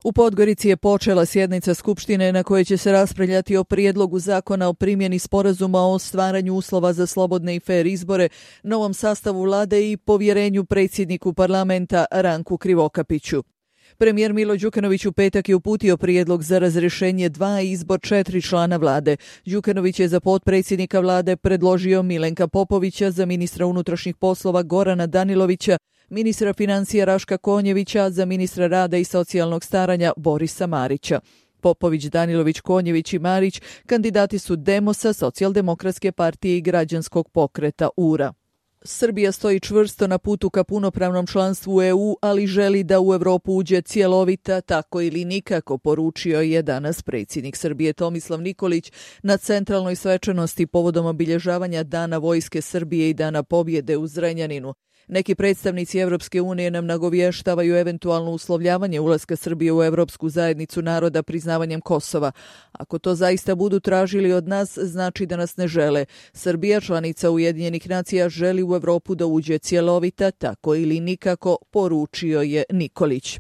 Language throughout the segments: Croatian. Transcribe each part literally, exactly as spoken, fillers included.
U Podgorici je počela sjednica Skupštine na kojoj će se raspravljati o prijedlogu zakona o primjeni sporazuma o stvaranju uslova za slobodne i fer izbore, novom sastavu vlade i povjerenju predsjedniku parlamenta Ranku Krivokapiću. Premijer Milo Đukanović u petak je uputio prijedlog za razrješenje dva i izbor četiri člana vlade. Đukanović je za potpredsjednika vlade predložio Milenka Popovića, za ministra unutrašnjih poslova Gorana Danilovića, ministra financija Raška Konjevića, za ministra rada i socijalnog staranja Borisa Marića. Popović, Danilović, Konjević i Marić kandidati su Demosa, Socijaldemokratske partije i građanskog pokreta U R A. Srbija stoji čvrsto na putu ka punopravnom članstvu u E U, ali želi da u Europu uđe cjelovita, tako ili nikako, poručio je danas predsjednik Srbije Tomislav Nikolić na centralnoj svečanosti povodom obilježavanja Dana vojske Srbije i Dana pobjede u Zrenjaninu. Neki predstavnici Europske unije nam nagovještavaju eventualno uslovljavanje ulaska Srbije u Europsku zajednicu naroda priznavanjem Kosova. Ako to zaista budu tražili od nas, znači da nas ne žele. Srbija, članica Ujedinjenih nacija, želi u Europu da uđe cjelovita, tako ili nikako, poručio je Nikolić.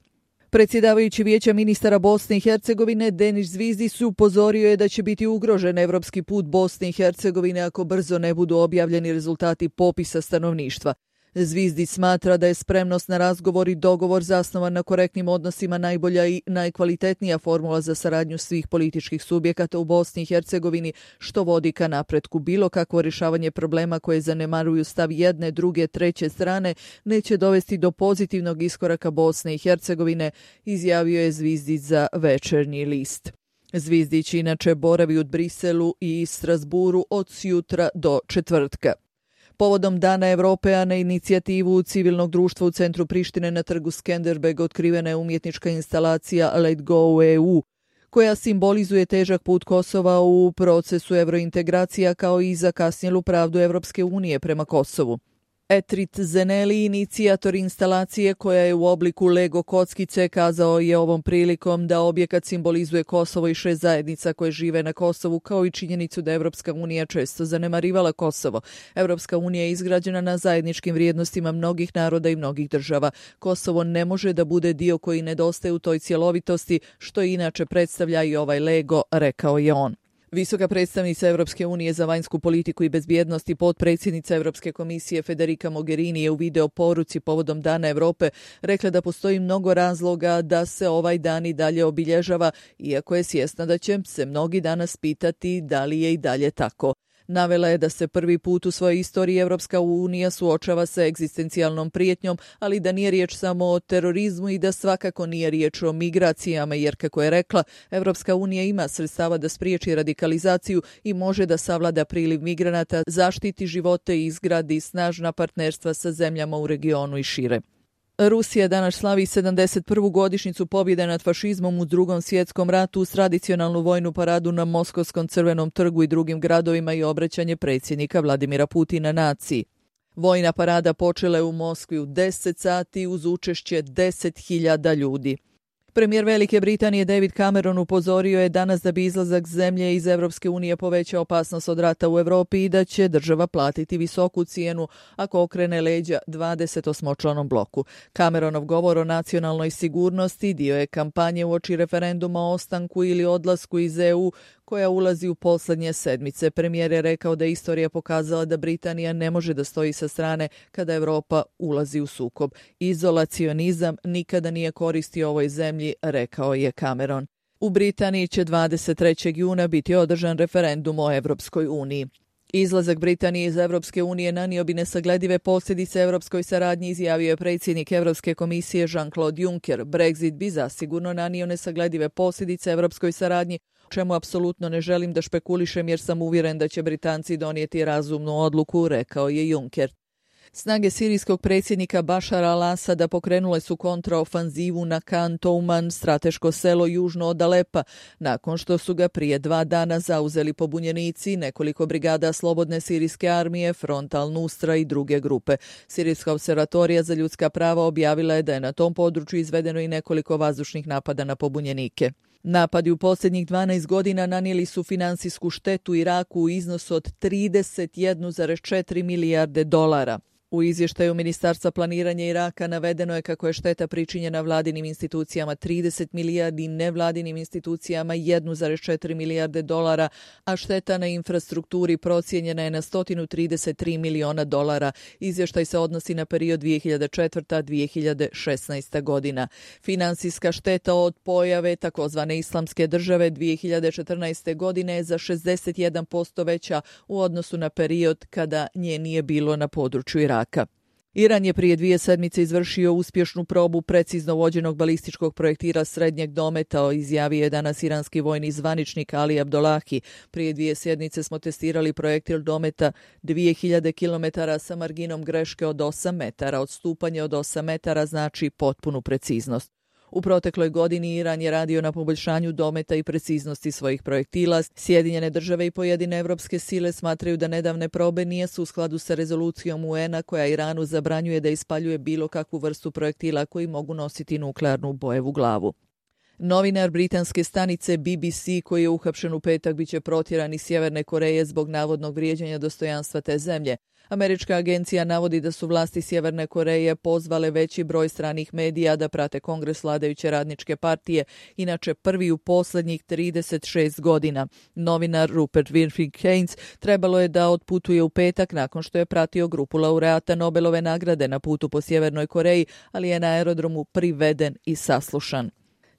Predsjedavajući Vijeća ministara Bosne i Hercegovine Denis Zvizdić upozorio je da će biti ugrožen evropski put Bosne i Hercegovine ako brzo ne budu objavljeni rezultati popisa stanovništva. Zvizdić smatra da je spremnost na razgovor i dogovor zasnovan na korektnim odnosima najbolja i najkvalitetnija formula za saradnju svih političkih subjekata u Bosni i Hercegovini, što vodi ka napretku. Bilo kakvo rješavanje problema koje zanemaruju stav jedne, druge, treće strane neće dovesti do pozitivnog iskoraka Bosne i Hercegovine, izjavio je Zvizdić za Večernji list. Zvizdić inače boravi u Briselu i Strasburu od sjutra do četvrtka. Povodom Dana Europe, a na inicijativu civilnog društva u centru Prištine na trgu Skenderbeg otkrivena je umjetnička instalacija Let Go E U, koja simbolizuje težak put Kosova u procesu evrointegracija kao i zakasnjelu pravdu Evropske unije prema Kosovu. Etrit Zeneli, inicijator instalacije koja je u obliku Lego kockice, kazao je ovom prilikom da objekat simbolizuje Kosovo i šest zajednica koje žive na Kosovu, kao i činjenicu da Evropska unija često zanemarivala Kosovo. Evropska unija je izgrađena na zajedničkim vrijednostima mnogih naroda i mnogih država. Kosovo ne može da bude dio koji nedostaje u toj cjelovitosti, što inače predstavlja i ovaj Lego, rekao je on. Visoka predstavnica Evropske unije za vanjsku politiku i bezbjednost i potpredsjednica Evropske komisije Federica Mogherini je u video poruci povodom Dana Europe rekla da postoji mnogo razloga da se ovaj dan i dalje obilježava, iako je svjesna da će se mnogi danas pitati da li je i dalje tako. Navela je da se prvi put u svojoj istoriji Evropska unija suočava sa egzistencijalnom prijetnjom, ali da nije riječ samo o terorizmu i da svakako nije riječ o migracijama, jer, kako je rekla, Evropska unija ima sredstava da spriječi radikalizaciju i može da savlada priliv migranata, zaštiti živote i izgradi snažna partnerstva sa zemljama u regionu i šire. Rusija danas slavi sedamdeset prvu godišnjicu pobjede nad fašizmom u Drugom svjetskom ratu uz tradicionalnu vojnu paradu na Moskovskom crvenom trgu i drugim gradovima i obraćanje predsjednika Vladimira Putina naciji. Vojna parada počela je u Moskvi u deset sati uz učešće deset hiljada ljudi. Premijer Velike Britanije David Cameron upozorio je danas da bi izlazak zemlje iz Evropske unije povećao opasnost od rata u Europi i da će država platiti visoku cijenu ako okrene leđa dvadesetosmočlanom bloku. Cameronov govor o nacionalnoj sigurnosti dio je kampanje uoči referenduma o ostanku ili odlasku iz E U koja ulazi u posljednje sedmice. Premijer je rekao da je istorija pokazala da Britanija ne može da stoji sa strane kada Europa ulazi u sukob. Izolacionizam nikada nije koristio ovoj zemlji, rekao je Cameron. U Britaniji će dvadeset trećeg juna biti održan referendum o Evropskoj uniji. Izlazak Britanije iz Evropske unije nanio bi nesagledive posljedice evropskoj saradnji, izjavio je predsjednik Evropske komisije Jean-Claude Juncker. Brexit bi zasigurno nanio nesagledive posljedice evropskoj saradnji, o čemu apsolutno ne želim da špekulišem jer sam uvjeren da će Britanci donijeti razumnu odluku, rekao je Juncker. Snage sirijskog predsjednika Bašara al-Asada pokrenule su kontraofanzivu na Khan Touman, strateško selo južno od Alepa, nakon što su ga prije dva dana zauzeli pobunjenici, nekoliko brigada slobodne sirijske armije, Front al-Nusra i druge grupe. Sirijska observatorija za ljudska prava objavila je da je na tom području izvedeno i nekoliko vazdušnih napada na pobunjenike. Napadi u posljednjih dvanaest godina nanijeli su finansijsku štetu Iraku u iznosu od trideset jedan zarez četiri milijarde dolara. U izvještaju Ministarstva planiranja Iraka navedeno je kako je šteta pričinjena vladinim institucijama trideset milijardi i nevladinim institucijama jedan zarez četiri milijarde dolara, a šteta na infrastrukturi procijenjena je na sto trideset tri miliona dolara. Izvještaj se odnosi na period dvije hiljade četvrta do dvije hiljade šesnaesta godina. Finansijska šteta od pojave takozvane islamske države dvije hiljade četrnaeste godine je za šezdeset jedan posto veća u odnosu na period kada nje nije bilo na području Iraka. Iran je prije dvije sedmice izvršio uspješnu probu precizno vođenog balističkog projektila srednjeg dometa, izjavio je danas iranski vojni zvaničnik Ali Abdolahi. Prije dvije sedmice smo testirali projektil dometa dvije hiljade kilometara sa marginom greške od osam metara. Odstupanje od osam metara znači potpunu preciznost. U protekloj godini Iran je radio na poboljšanju dometa i preciznosti svojih projektila. Sjedinjene države i pojedine evropske sile smatraju da nedavne probe nisu u skladu sa rezolucijom U N-a koja Iranu zabranjuje da ispaljuje bilo kakvu vrstu projektila koji mogu nositi nuklearnu bojevu glavu. Novinar britanske stanice B B C koji je uhapšen u petak biće protjeran iz Sjeverne Koreje zbog navodnog vrijeđanja dostojanstva te zemlje. Američka agencija navodi da su vlasti Sjeverne Koreje pozvale veći broj stranih medija da prate kongres vladajuće radničke partije, inače prvi u posljednjih trideset šest godina. Novinar Rupert Winfrey Haynes trebalo je da otputuje u petak nakon što je pratio grupu laureata Nobelove nagrade na putu po Sjevernoj Koreji, ali je na aerodromu priveden i saslušan.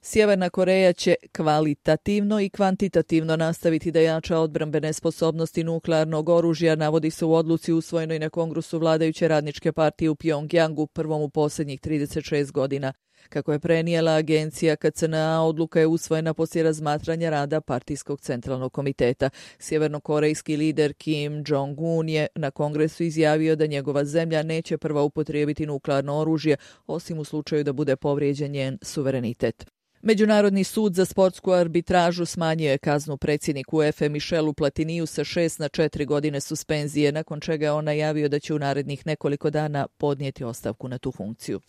Sjeverna Koreja će kvalitativno i kvantitativno nastaviti da jača odbrambene sposobnosti nuklearnog oružja, navodi se u odluci usvojenoj na kongresu vladajuće radničke partije u Pjongjangu, prvom u posljednjih trideset šest godina. Kako je prenijela agencija K C N A, odluka je usvojena poslije razmatranja rada partijskog centralnog komiteta. Sjevernokorejski lider Kim Jong-un je na kongresu izjavio da njegova zemlja neće prva upotrijebiti nuklearno oružje, osim u slučaju da bude povrijeđen njen suverenitet. Međunarodni sud za sportsku arbitražu smanjio je kaznu predsjedniku U E F A Michelu Platiniju sa šest na četiri godine suspenzije, nakon čega je on najavio da će u narednih nekoliko dana podnijeti ostavku na tu funkciju.